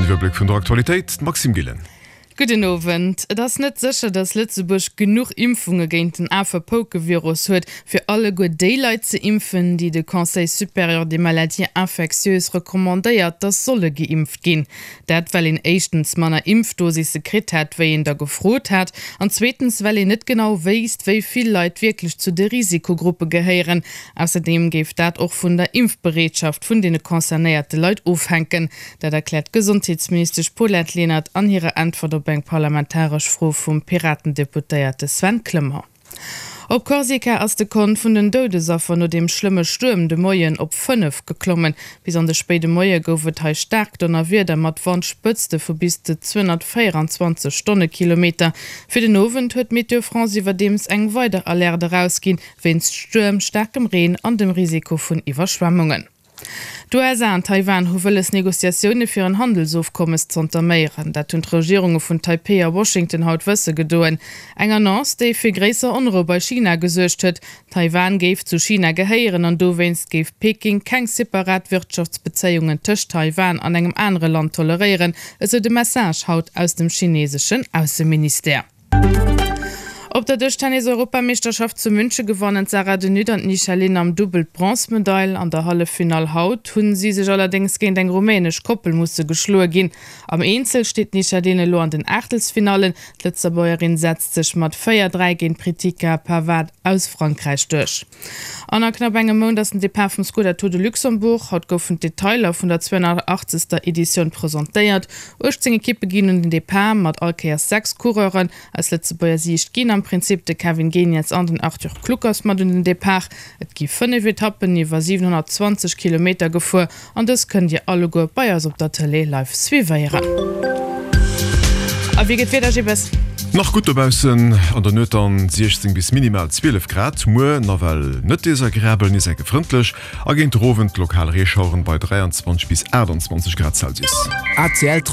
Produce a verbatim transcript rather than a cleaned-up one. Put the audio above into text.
Den Iwwerbléck vun der Aktualitéit, d'Maxime Gillen. Gudden Owend. Et ass net sécher, datt Lëtzebuerg genuch Impfunge géint den Afepoukevirus huet, fir alleguer déi Leit ze impfen, déi de Conseil supérieur des maladies infectieuses recommandéiert, datt solle geimpft ginn. Dat well een éischtens manner Impfdosisse kritt hätt, wéi een der gefrot hat, an zweetens well een net genau wéisst, wéi vill Leit wierklech zu de Risikogruppe gehéieren. Ausserdeem géif dat och vun der Impfbereetschaft vun deene concernéierte Leit ofhänken. Dat erkläert d'Gesondheetsministesch Paulette Lenert an hirer Äntwert op eng parlamentaresch Fro vum Piraten-Deputéierte Sven Clement. Op Korsika ass de Kont vun den Doudesaffer no deem schlëmme Stuerm de Moien op fënnef geklommen. Bis an de spéide Moie gouf et hei staark Donnerwieder mat Wandspëtzte vu bis zu zweehonnertvéieranzwanzeg Stonnekilometer. Fir den Owend huet Météo France iwwerdeems eng weider Alerte erausginn, wéinst Stuerm, staarkem Reen an dem Risiko vun Iwwerschwemmungen. D'USA an Taiwan hu wëlles, Negociatioune fir en Handelsofkommes z'entaméieren. Dat hunn d'Regierunge vun Taipei a Washington haut wësse gedoen. Eng Annonce, déi fir gréisser Onrou bei China gesuergt huet. Taiwan géif zu China gehéieren an dowéinst géif Peking keng separat Wirtschaftsbezéiungen tëscht Taiwan an engem anere Land toleréieren, esou de Message haut aus dem chineseschen Ausseministère. Op der Dëschtennis-Europameeschterschaft zu Münche gewannen d'Sarah de Nutte an d'Nisha Lin am Dubbel d'Bronzmedail. An der Halleffinall haut hu si sech allerdéngs géint eng rumänesch Koppel musse geschloe ginn. Am Eenzel steet d'Nisha Lin elo an den Aachtelsfinallen. D'Lëtzebuergerin setzt sech mat véier, dräi géint d'Pritika Pavade aus Frankräich duerch. An a knapp engem Mount ass den Depart vum Skoda Tour de Luxembourg. Haut goufen d'Detailer vun der zweehonnertachtzeger Editioun presentéiert. uechtzéng Ekippe ginn un den Depart, mat all Kéiers sechs Coureuren. Aus Lëtzebuerger Siicht ginn am Prinzip de Kevin Geniets an den Arthur Kluckers mat un den Depart. Et gi fënnef Etappen iwwer siwenhonnertzwanzeg Kilometer gefuer an dës kënnt Dir alleguer bei eis op der Tëlee live suivéieren. A wéi gëtt d'Wieder, Gibbes? Nach gutt dobaussen, an der Nuet dann siechzéng bis minimal zwielef Grad. Muer nawell net desagreabel, nees enke frëndlech a géint den Owend lokal Reeschaueren bei dräianzwanzeg bis aachtanzwanzeg Grad Celsius. A C L.